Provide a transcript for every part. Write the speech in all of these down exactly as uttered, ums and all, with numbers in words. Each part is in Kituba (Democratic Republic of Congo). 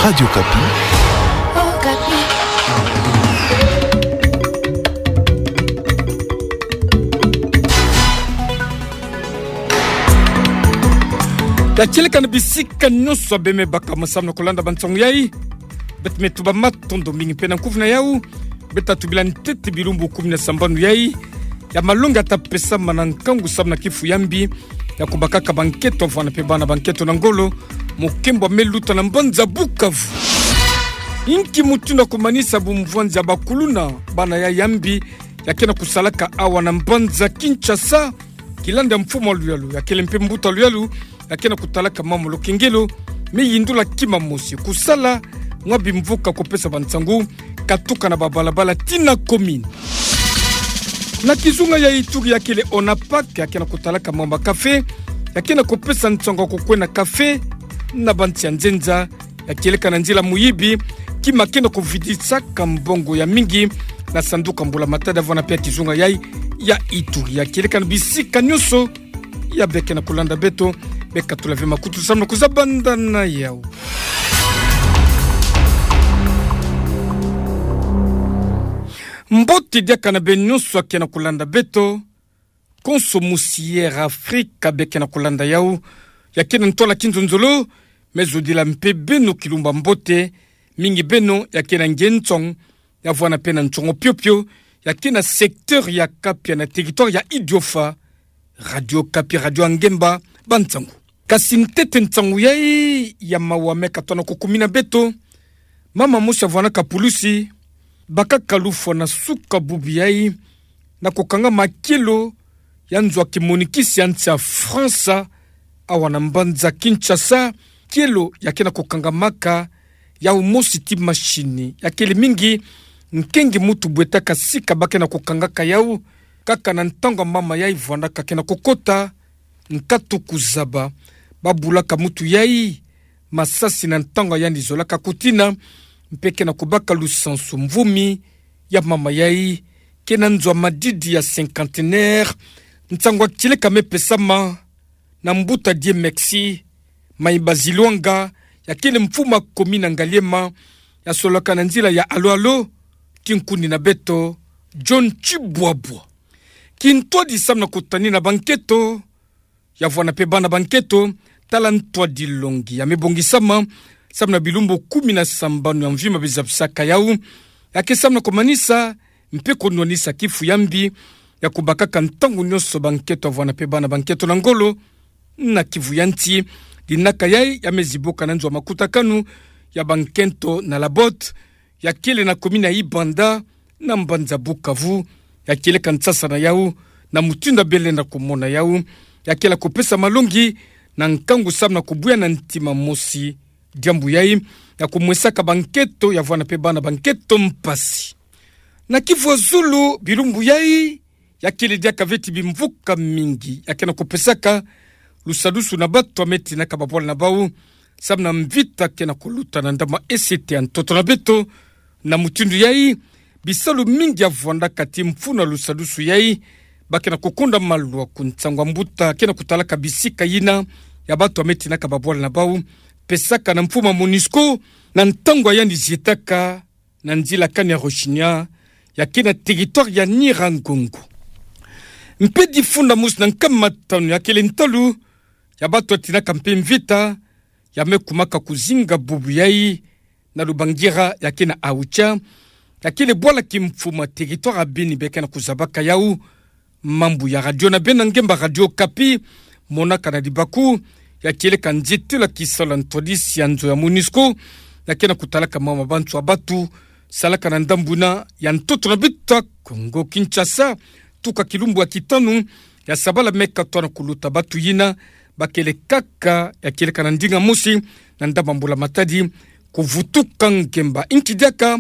Radio Okapi. Ya kieleka na bisika nyonso bê me baka mo samna kolanda bansangu yai. Beto me tuba matondo mingi mpe na nkufi na yau. Beto tubila ntete bilumbu kumi na sambanu yai ya malongi ya ta pesa ma na nkangu samna kifu ya mbi, ya kubakaka bankento avwani mpe bana bankento na ngolo, mo kembwa me luta na mbanza Bukavu. Inki mutindu ya kumanisa bumvwanzi ya bakuluna bana yai ya mbi, ya ke na kusalaka awa na mbanza Kinshasa, kilandi ya mfumu wa luyalu, ya kele mpe mbuta luyalu, ya ke na kutalaka mama Lokengelo, me yindula kima mosi, kusala mwa bimvuka kupesa bansangu, katuka na babalabala tii na commune. Na kizunga ya Ituri ya kele ONAPAK, ya ke na kutalaka mama café, ya ke na kupesa nsangu ya kukwena café na bansi ya nzenza, ya kieleka na nzila muyibi, kima ke na kuvidisaka mbongo ya mingi na sanduku ya mbula matadi avwani mpe ya kizunga yai ya Ituri. Ya kieleka na bisika nyonso ya bê ke na kulanda beto, bê katula ve makutu samna kuzabanda na yau. Mbote diaka na bê nyonso ya ke na kulanda beto. Konso mosi ya Afrika bê ke na kulanda yau, ya ke na ntwala kinzonzolo, me zodila mpe beno kilumbu ya mbote, mingi beno ya ke na nge ntsong, ya vwanda mpe na ntsongo piopio, ya ke na secteur ya Kapia na territoire ya Idiofa. Radio Okapi, radio ya ngemba bansangu. Kasi ntete nsangu yai ya mawa me katona kukumina beto, mama mosi ya vwanaka pulusi, bakaka lufwa na suka bubu yai, na kukangama kielo ya nzo ya kimonikisi ya nsi ya France, awa na mbanza Kinshasa, kielo ya ke na kukangamaka yau mosi tii machine, ya kele mingi nkengi mutu bwetaka sika ba ke na kukangaka yau, kaka na ntangu ya mama yai vwandaka ke na kukota nkatu kuzaba, ba bulaka mutu yai masasi na ntangu yandi zolaka kutina, mpe ke na kubaka lusansu mvumi ya mama yai, ke na nzo ya madidi ya cinquantenaire. Nsangu ya kieleka me pesama na mbuta Dieu Mexi Mayibazi Luanga, ya kele mfumu ya commune ya Ngaliema, ya solaka na nzila ya Alo Alo, tii nkundi na beto John Tshibwabwa. Kintwadi samna kutanina bankento ya vwanda mpe bana bankento, tala ntwadi longi ya me bongisama samna bilumbu kumi na sambanu ya mvimba bizabisaka yau, ya ke samna kumanisa mpe kunwanisa kifu ya mbi, ya kubakaka ntangu nyonso bankento ya vwanda mpe bana bankento na ngolo na kivu ya nsi. Dinaka yai ya me zibuka na nzo ya makutakanu ya bankento na Labotte, ya kele na commune ya Ibanda, na mbanza Bukavu, ya kieleka nsasa na yau, na mutindu ya bê lenda kumona yau, ya kele ya kupesa malongi na nkangu samna kubuya na ntima mosi diambu yai, ya kumwesaka bankento ya vwanda mpe bana bankento mpasi. Na kivu ya zulu, bilumbu yai, ya kele diaka ve ti bimvuka mingi ya ke na kupesaka lusadusu na bato ya me tinaka babwala na bau, samna mvita ke na kuluta na ndambu ya esete ya ntoto na beto. Na mutindu yai, bisalu mingi ya vwandaka ti mfunu ya lusadusu yai, ba ke na kukonda maluaku. Nsangu ya mbuta ke na kutalaka bisika yina ya bato ya me tinaka babwala na bau, pesaka na mfumu ya MONUSCO, na ntangu ya yandi zietaka na nzila Kanyaruchinya, ya ke na territoire ya Nyiragongo. Mpe difunda mosi na nkama tanu ya kele ntalu ya bato ya tinaka mpe mvita, ya me kumaka kuzinga bubu yai na Lubangira, ya ke na Aocha, ya kele bwala kimfumu ya territoire ya Beni be ke na kuzabaka yau. Mambu ya radio na bê na ngemba Radio Okapi, monaka na libaku ya kieleka nzietelo ya kisalu ya ntwadisi ya nzo ya MONUSCO, ya ke na kutalaka mama bantu ya bato salaka na ndambu yina ya ntoto na beto ya Kongo Kinshasa, tuka kilumbu ya kitanu ya sabala me katoa na kuluta. Bato yina ba kele kaka ya kieleka na ndinga mosi na ndambu ya mbula matadi, kuvutuka ngemba. Inki diaka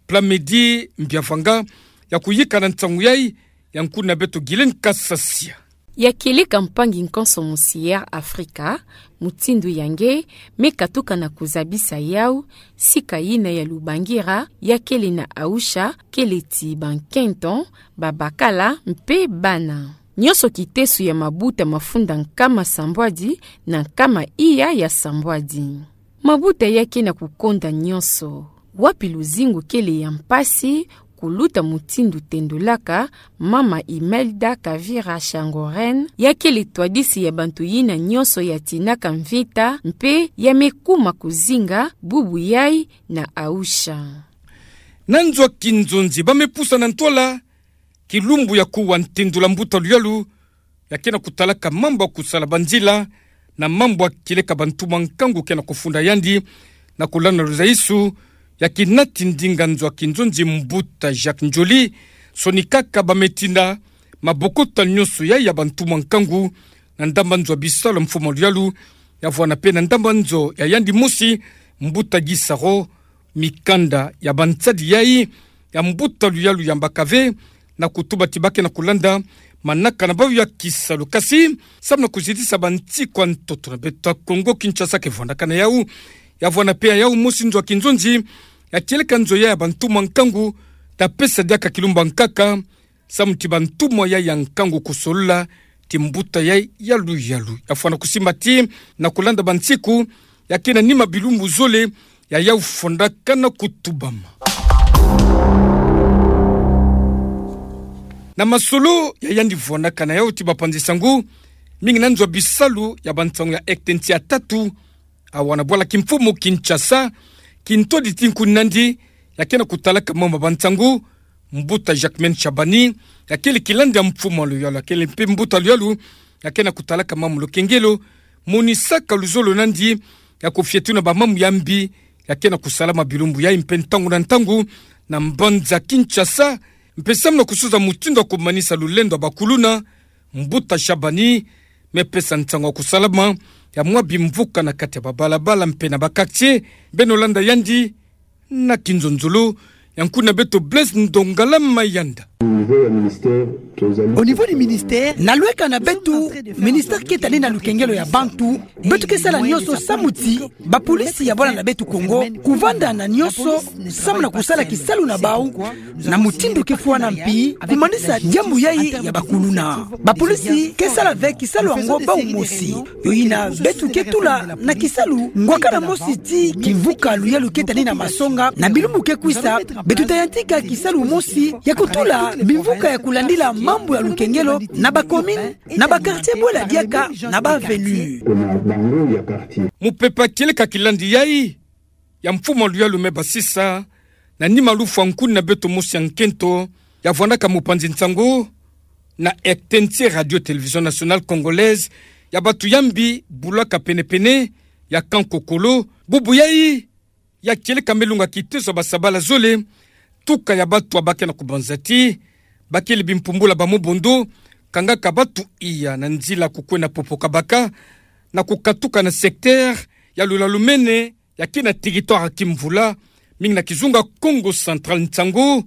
Plamedi Mbiavanga ya kuyika na nsangu yai, ya nkundi na beto Guylaine Kasasia. Ya kieleka mpangi nkonso mosi ya Afrika, mutindu ya nge me katuka na kuzabisa yau, sika yina ya Lubangira, ya kele na Aocha, kele ti bankento, babakala, mpe bana. Nyonso kiteso ya mabuta mafunda nkama sambwadi na nkama iya ya sambwadi. Mabuta ya ke na kukonda nyonso. Wapi luzingu kele ya mpasi, kuluta mutindu tendulaka, mama Imelda Kavira Shangoren, ya kele twadisi ya bantu yina nyonso ya tinaka mvita, mpe ya me kuma kuzinga, bubu yai na Aisha. Na nzo a kinzonzi ba me pusa na ntwala, kilumbu ya kuwa ntendula mbuta luyalu, ya ke na kutalaka mambu ya kusala banzila, na mambu ya kieleka bantu mwa nkangu ke na kufunda yandi, na kulanda luzaisu, ya kinati ndinga nzo a kinzonzi mbuta Jacques Ndjoli, sonikaka ba me tina, mabokota nyonso yai ya bantu mwa nkangu, na ndamba nzo a bisalu mfumu luyalu, ya vwanda mpe na ndamba nzo ya yandi mosi, mbuta Gisaro, mikanda ya bansadi yai, ya mbuta luyalu yambaka ve, na kutuba ti ba ke na kulanda, manaka na bau ya kisalu kasi, samu na kuzitisa bansiku a ntoto na beto a Kongo Kinshasa ke vwandaka na yau, ya vwanda mpe ya yau mosi nzo a kinzonzi, ya kieleka nzo ya ya bantu mwa nkangu, ta pesa diaka kilumbu a nkaka, samu ti bantu mwa ya ya nkangu kusolola, ti mbuta ya ya luyalu. Ya fwana kusimba ti, na kulanda bansiku, ya ke na nima bilumbu zole, ya yau fondaka na kutubama. Na masolo, ya yandi vwandaka na yau ti bapanzi sangu, mingi na nzo a bisalu, ya bansangu ya ektensi ya tatu, awa na bwala kimfumu Kinshasa, kintwadi ti nkuni nandi, ya ke na kutalaka mama bansangu, mbuta Jacquemain Shabani, ya kele kilandi ya mfumu luyalu, ya kele mpe mbuta luyalu, ya ke na kutalaka mama lukengelo, monisaka luzolo nandi, ya kufieti na bamama ya mbi, ya ke na kusalama bilumbu yai mpe ntangu na ntangu, na mbanza Kinshasa, mpe samu na kusuza mutindu ya kumanisa lulendo ya bakuluna, mbuta Shabani, me pesa nsangu ya kusalama, ya mwa bimvuka na kati ya babalabala mpe na ba quartier, beno landa yandi, na kinzonzolo, ya nkuni na beto Blaise Ndongala Mayanda. Au niveau du ministère, na lweka na beto, ministère ke tani na lukengelo ya bantu, beto ke sala nyonso samu ti, bapolisi ya bwala na beto Kongo, kuvanda na nyonso, samu na kusala kisalu na bau, na mutindu ke fwana mpi, kumanisa diambu yai ya bakuluna. Bapolisi ke sala ve kisalu yango bau mosi. Yo yina beto ke tula na kisalu, kwa kala mosi ti kimvuka luyalu ke tani na masonga, na bilumbu ke kwisa, beto ta yantika kisalu mosi, ya kutula bimvuka ya kulandila mambu ya lukengelo, na ba commune, na ba quartier bwela diaka, na ba avenue. Mupepe kieleka kilandi yai, ya mfumu luyalu me basisa, na nima lufwa nkuni na beto mosi ya nkento, ya vwandaka mupanzi nsangu, na R T N C Radio Télévision Nationale Congolaise, ya bantu ya mbi bulaka pene-pene, ya Camp Kokolo, bubu yai, ya kieleka me lunga kiteso ya basabala zole, tuka ya bantu ya ba ke na kubanza ti, ba kele bimpumbula ba mobondo, kangaka bantu iya na nzila kukwenda Popo-Kabaka, na kukatuka na secteur, ya Lula-Lumene, ya ke na territoire ya Kimvula, mingi na kizunga Kongo Central nsangu,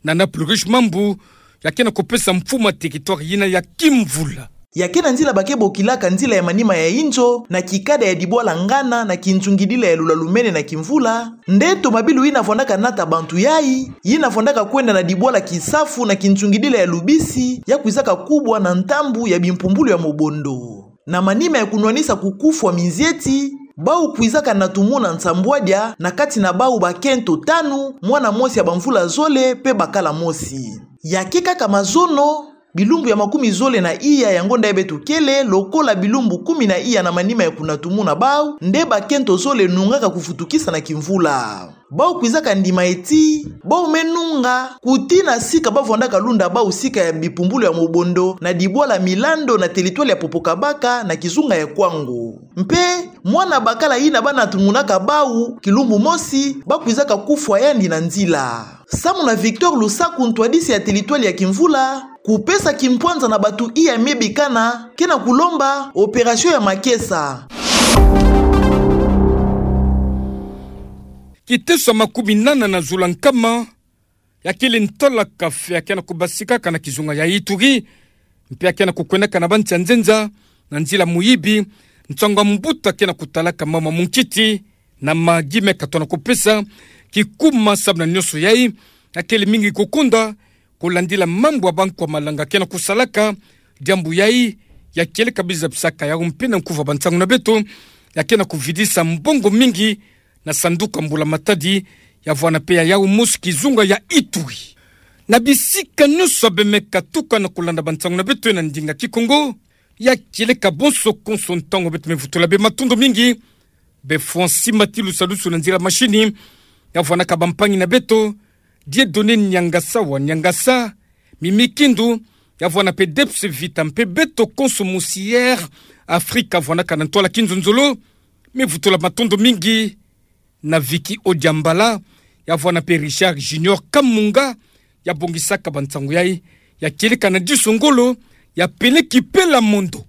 na Nana Plurish Mambu, ya ke na kupesa mfumu ya territoire yina ya Kimvula. Ya ke na nzila ba ke bokilaka nzila ya manima ya inzo, na kikada ya dibwala Ngana, na kinzungidila ya Lula-Lumene na Kimvula, nde tomabilu yina vwandaka nata bantu yai, yina vwandaka kwenda na dibwala Kisafu, na kinzungidila ya Lubisi, ya kwizaka kubwa na ntambu ya bimpumbulu ya mobondo. Na manima ya kunwanisa kukufwa minzieti, bau kwizaka na tumuna nsambwadia na kati na bau bakento tanu, mwana mosi ya bamvula zole, mpe bakala mosi. Ya ke kaka mazono, bilumbu ya makumi zole na iya ya ngonda ya beto kele, lokola bilumbu kumi na iya na manima ya kunatumuna bau, nde bakento zole nungaka kuvutukisa na Kimvula. Bau kwizaka ndima eti, bau me nunga, kutina sika ba vwandaka lunda bau sika ya bipumbulu ya mobondo, na dibwala Milando na teritwale ya Popo-Kabaka na kizunga ya Kwango. Mpe, mwana bakala yina ba natumunaka bau, kilumbu mosi, ba kwizaka kufwa yandi na nzila. Samu na Victor Lusaku ntwadisi ya teritwale ya Kimvula, kupesa kimpwanza na bantu iya me bikana, ke na kulomba, opération ya makesa. Kiteso ya makumi nana na zula nkama, ya kele ntwala kafe ya ke na kubasikaka na kizunga ya Ituri, mpe ya ke na kukwendaka na bansi ya nzenza, na nzila muyibi, nsangu ya mbuta ke na kutalaka mama munkiti, na magi me katona kupesa, kikuma samu na nyonso yai, ya kele mingi kukonda, kulandila mambu ya bankwa malanga ke na kusalaka, diambu yai, ya kele kabiza bisaka yau mpe na nkuva bansangu na beto, ya ke na kuvidisa mbongo mingi na sanduku ya mbula matadi, ya vwanda pe ya yawu mosi kizunga ya Ituri. Na bisika nyonso bemeka tuka na kulanda bansangu na beto na ndinga Kikongo, ya kieleka bonso konso ntangu beto me vutula bê matondo mingi. Bê Francis Matilu salusu na nzila mashini, ya vwanaka bampangi na beto, Dieudonné Niangasa wa Niangasa, Mimi Kindu, ya vwanda pe Debs Vita mpe beto konso Moussière Afrika vwanaka na ntwala kinzonzolo. Me vutula matondo mingi na Vicky Odiambala, ya vwanda pe Richard Junior Kamunga, ya bongisaka bansangu yayi, ya kieleka na diso ngolo, ya peleki pela mondo.